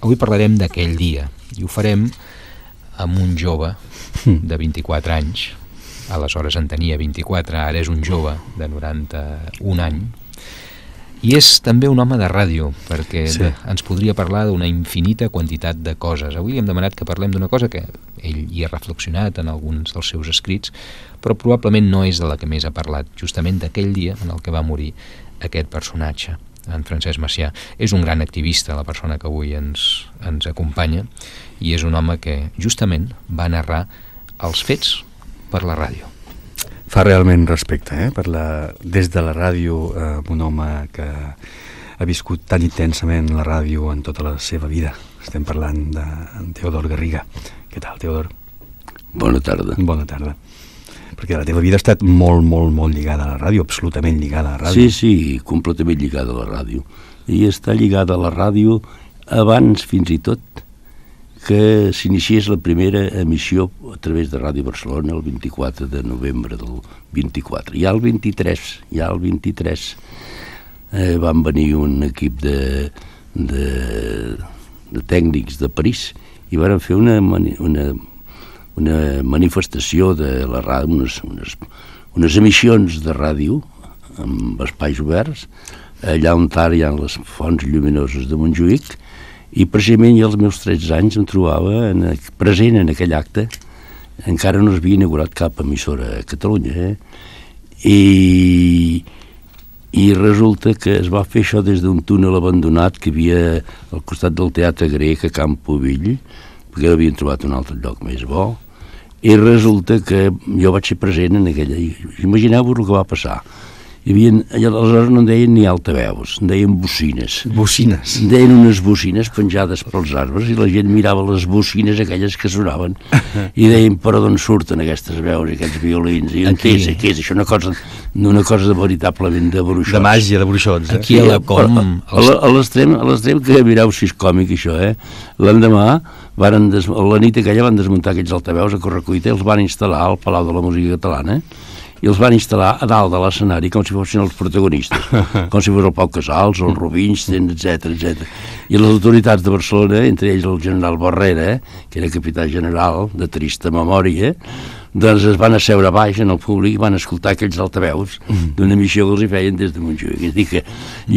Avui parlarem d'aquell dia i ho farem amb un jove de 24 anys. Aleshores en tenia 24, ara és un jove de 91 anys. I és també un home de ràdio, perquè ens podria parlar d'una infinita quantitat de coses. Avui li hem demanat que parlem d'una cosa que ell hi ha reflexionat en alguns dels seus escrits, però probablement no és de la que més ha parlat, justament d'aquell dia en el que va morir aquest personatge, en Francesc Macià. És un gran activista, la persona que avui ens acompanya, i és un home que justament va narrar els fets per la ràdio. Fa realment respecte, des de la ràdio, un home que ha viscut tan intensament la ràdio en tota la seva vida. Estem parlant d'en Teodor Garriga. Què tal, Teodor? Bona tarda. Bona tarda. Perquè la teva vida ha estat molt, molt, molt lligada a la ràdio, absolutament lligada a la ràdio. Sí, completament lligada a la ràdio. I està lligada a la ràdio abans, fins i tot, que s'iniciés la primera emissió a través de Ràdio Barcelona el 24 de novembre del 24. Ja el 23 van venir un equip de tècnics de París i van fer una manifestació de la ràdio, unes emissions de ràdio amb espais oberts, allà on hi ha les fonts lluminoses de Montjuïc. I precisament als meus 13 anys em trobava present en aquell acte. Encara no s'havia inaugurat cap emissora a Catalunya, I resulta que es va fer això des d'un túnel abandonat que hi havia al costat del Teatre Grec a Campovill, perquè havien trobat un altre lloc més bo, i resulta que jo vaig ser present en aquella. Imagineu-vos el que va passar. Aleshores no en deien ni altaveus, en deien bocines. Bocines? En deien unes bocines penjades pels arbres i la gent mirava les bocines aquelles que sonaven i deien, però d'on surten aquestes veus i aquests violins? I què és això? Una cosa veritablement de bruixots. De màgia, de bruixots. Aquí a la Com... A l'extrem que mireu si és còmic això, L'endemà, a la nit aquella van desmuntar aquests altaveus a correcuita i els van instal·lar al Palau de la Música Catalana i els van instal·lar a dalt de l'escenari com si fossin els protagonistes, com si fos el Pau Casals, el Rubinstein, etc. I les autoritats de Barcelona, entre ells el general Barrera, que era capità general de trista memòria, doncs es van asseure baix en el públic i van escoltar aquells altaveus d'una emissió que els hi feien des de Montjuïc. És a dir que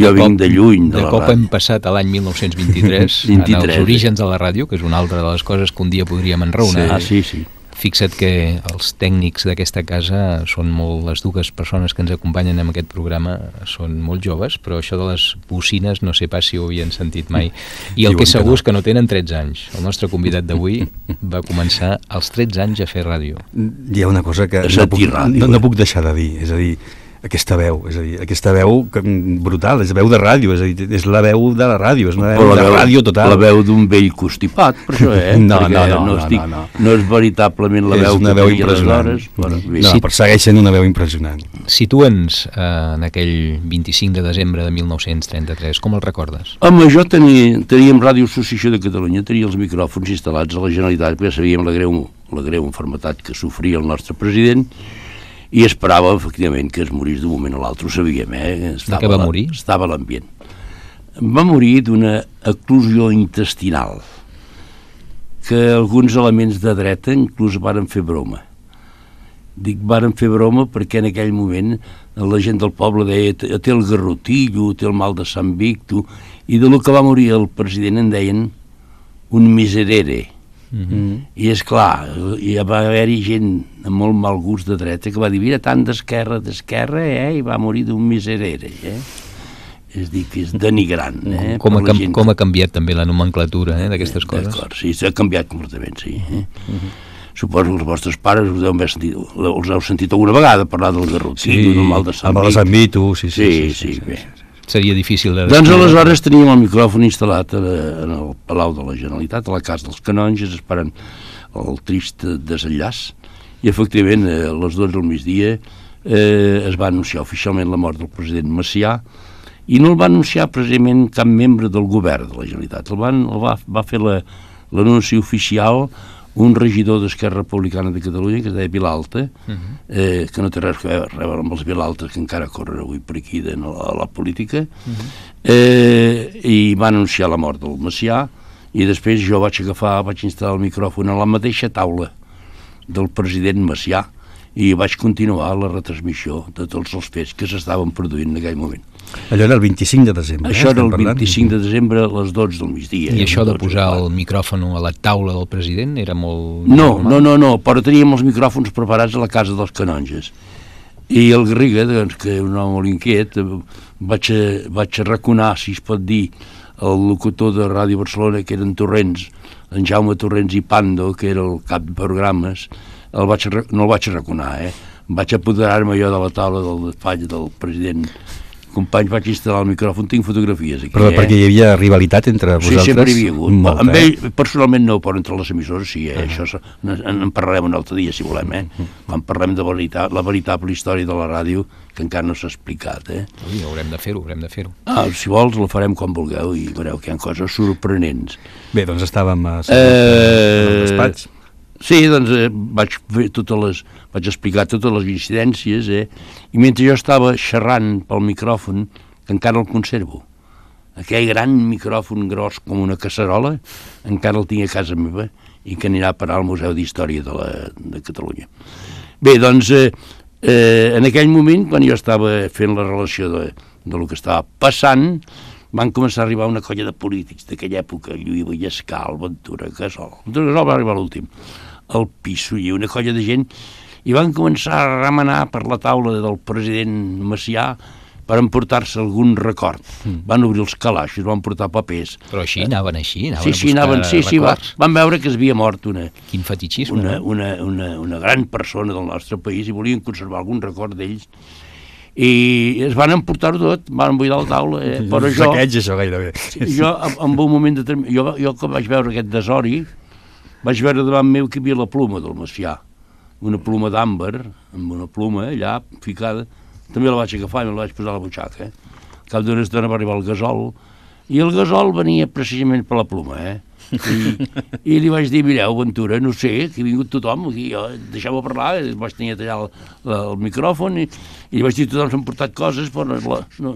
jo vinc de lluny de la ràdio. De cop hem passat a l'any 1923, en els orígens de la ràdio, que és una altra de les coses que un dia podríem enraonar. Sí. Fixa't que els tècnics d'aquesta casa són les dues persones que ens acompanyen en aquest programa són molt joves, però això de les bocines no sé pas si ho havien sentit mai. I el que és segur és que no tenen 13 anys. El nostre convidat d'avui va començar als 13 anys a fer ràdio. Hi ha una cosa que no puc deixar de dir, és a dir, aquesta veu brutal, és veu de ràdio, és la veu de la ràdio, és una veu de ràdio total. La veu d'un vell constipat, per això, No és veritablement la veu que feia aleshores. Però segueix sent una veu impressionant. Situa'ns en aquell 25 de desembre de 1933, com el recordes? Home, jo teníem Ràdio Associació de Catalunya, tenia els micròfons instal·lats a la Generalitat, perquè sabíem la greu malaltia que sofria el nostre president, i esperava, efectivament, que es morís d'un moment a l'altre, ho sabíem, De què va morir? Estava a l'ambient. Va morir d'una eclosió intestinal, que alguns elements de dreta inclús varen fer broma. Dic, varen fer broma perquè en aquell moment la gent del poble deia té el garrotillo, té el mal de Sant Victo, i de lo que va morir el president en deien un miserere. I és clar, hi va haver-hi gent amb molt mal gust de dreta que va dir, mira, tant d'esquerra, i va morir d'un miserere, És dir, que és denigrant. Com ha canviat també la nomenclatura d'aquestes coses? D'acord, sí, s'ha canviat completament, sí. Suposo que els vostres pares els heu sentit alguna vegada parlar del garrotillo, del mal de Sant Victo. Sí, bé. Seria difícil de... Doncs aleshores teníem el micròfon instal·lat en el Palau de la Generalitat, a la Casa dels Canonges, esperant el trist desenllaç, i efectivament a les 12 del migdia es va anunciar oficialment la mort del president Macià, i no el va anunciar precisament cap membre del govern de la Generalitat, va fer l'anunci oficial un regidor d'Esquerra Republicana de Catalunya que es deia Vilalta, que no té res a veure amb els Vilaltes que encara corren avui per aquí a la política, i va anunciar la mort del Macià I després jo vaig instal·lar el micròfon a la mateixa taula del president Macià i vaig continuar la retransmissió de tots els fets que s'estaven produint en aquell moment. Allò era el 25 de desembre. Això era el 25 de desembre a les 12 del migdia. I això de posar el micròfon a la taula del president era molt... No, però teníem els micròfons preparats a la casa dels canonges. I el Garriga, doncs, que és un home molt inquiet, vaig arraconar, si es pot dir, el locutor de Ràdio Barcelona, que eren Torrents, en Jaume Torrents i Pando, que era el cap de programes, no el vaig arraconar, vaig apoderar-me jo de la taula del despatx del president Companys, vaig instal·lar el micròfon, tinc fotografies aquí. Però perquè hi havia rivalitat entre vosaltres? Sí, sempre hi havia hagut. Amb ell, personalment no, però entre les emissores sí, això en parlarem un altre dia, si volem, quan parlem de la veritable història de la ràdio, que encara no s'ha explicat, Ui, haurem de fer-ho. Si vols, la farem quan vulgueu i veureu que hi ha coses sorprenents. Bé, doncs estàvem a el despatx. Sí, doncs vaig explicar totes les incidències, i mentre jo estava xerrant pel micròfon, que encara el conservo, aquell gran micròfon gros com una casserola, encara el tinc a casa meva i que anirà a parar al Museu d'Història de Catalunya. Bé, doncs, en aquell moment, quan jo estava fent la relació de lo que estava passant, van començar a arribar una colla de polítics d'aquella època, Lluís Vallescal, Ventura Gasol. Ventura Gasol va arribar a l'últim, el Pisso i una colla de gent, i van començar a remenar per la taula del president Macià per emportar-se algun record. Van obrir els calaixos, van portar papers. Però així, anaven a buscar records. Van veure que es havia mort Quin fetichisme. Una gran persona del nostre país i volien conservar algun record d'ells. I es van emportar-ho tot, van buidar la taula, però jo... Saqueig, això, gairebé. Jo, en un moment determinat, jo que vaig veure aquest desori, vaig veure davant meu que hi havia la pluma del Macià, una pluma d'àmbar, amb una pluma allà ficada, també la vaig agafar i me la vaig posar a la butxaca. Al cap d'una estona va arribar el Gasol, i el Gasol venia precisament per la pluma, I li vaig dir, mireu, Ventura, no sé, que ha vingut tothom, aquí, deixeu-me parlar, vaig tenir tallar el micròfon, i li vaig dir, tothom s'han portat coses, però no,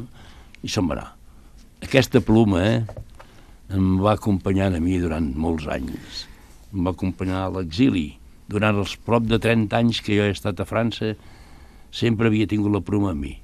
i se'n va anar. Aquesta pluma em va acompanyar a mi durant molts anys, em va acompanyar a l'exili. Durant els prop de 30 anys que jo he estat a França, sempre havia tingut la pluma amb mi.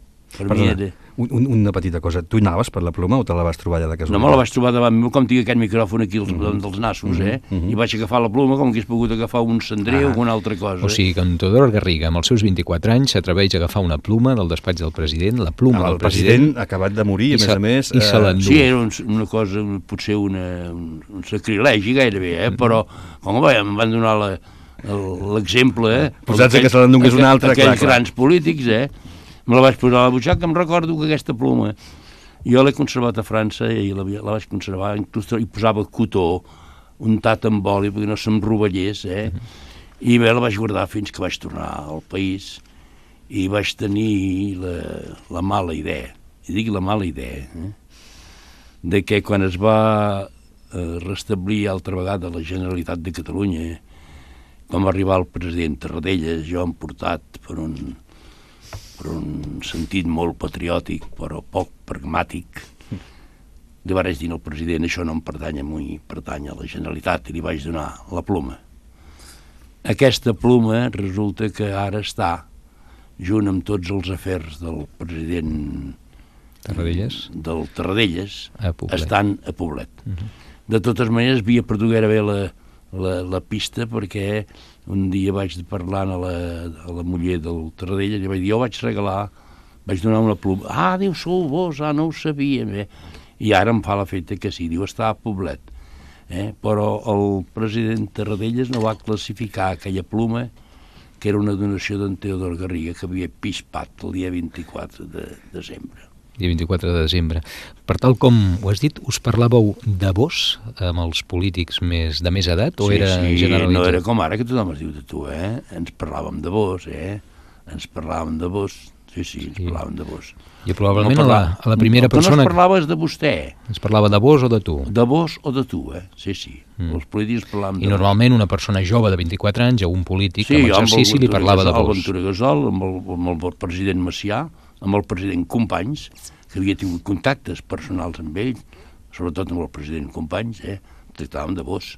Una petita cosa, tu anaves per la pluma o te la vas trobar allà de casualitat? No, me la vaig trobar davant meu, com tinc aquest micròfon aquí dels nassos, i vaig agafar la pluma com que hagués pogut agafar un cendrer o alguna altra cosa. O sigui que en Teodor Garriga, amb els seus 24 anys, s'atreveix a agafar una pluma del despatx del president, la pluma del president... acabat de morir, a més a més... I se l'endú. Sí, era una cosa, potser un sacrilegi gairebé, però com em van donar l'exemple... Posats que se l'endungués una altra, clar. Aquells grans polítics, me la vaig posar a la butxaca, em recordo que aquesta pluma jo l'he conservat a França i la vaig conservar, inclús hi posava cotó untat amb oli perquè no se'm rovellés, i bé, la vaig guardar fins que vaig tornar al país i vaig tenir la mala idea, i dic la mala idea, de que quan es va restablir altra vegada la Generalitat de Catalunya, quan va arribar el president Tarradellas, jo em portat per un sentit molt patriòtic, però poc pragmàtic, li vaig dir al president, això no em pertany a mi, pertany a la Generalitat, i li vaig donar la pluma. Aquesta pluma resulta que ara està, junt amb tots els afers del president del Tarradellas, estan a Poblet. De totes maneres, havia perdut gairebé la pista perquè un dia vaig parlant a la muller del Tarradellas i li vaig dir, jo vaig donar una pluma. Ah, diu, sou vos, no ho sabia. I ara em fa l'efecte que sí, diu, està a Poblet. Però el president Tarradellas no va classificar aquella pluma, que era una donació d'en Teodor Garriga, que havia pispat el dia 24 de desembre. Dia 24 de desembre. Per tal com ho has dit, us parlàveu de vos amb els polítics de més edat o era generalitzat? Sí, no era com ara que tothom es diu de tu, Ens parlàvem de vos, Ens parlàvem de vos. Sí, ens parlàvem de vos. I probablement a la primera persona... No es parlaves de vostè. Es parlava de vos o de tu? De vos o de tu, Sí. Els polítics parlàvem de I normalment una persona jove de 24 anys o un polític en exercici li parlava de vos. Sí, amb el Ventura Gasol, amb el president Macià, amb el president Companys, que havia tingut contactes personals amb ell, sobretot amb el president Companys, tractàvem de vos.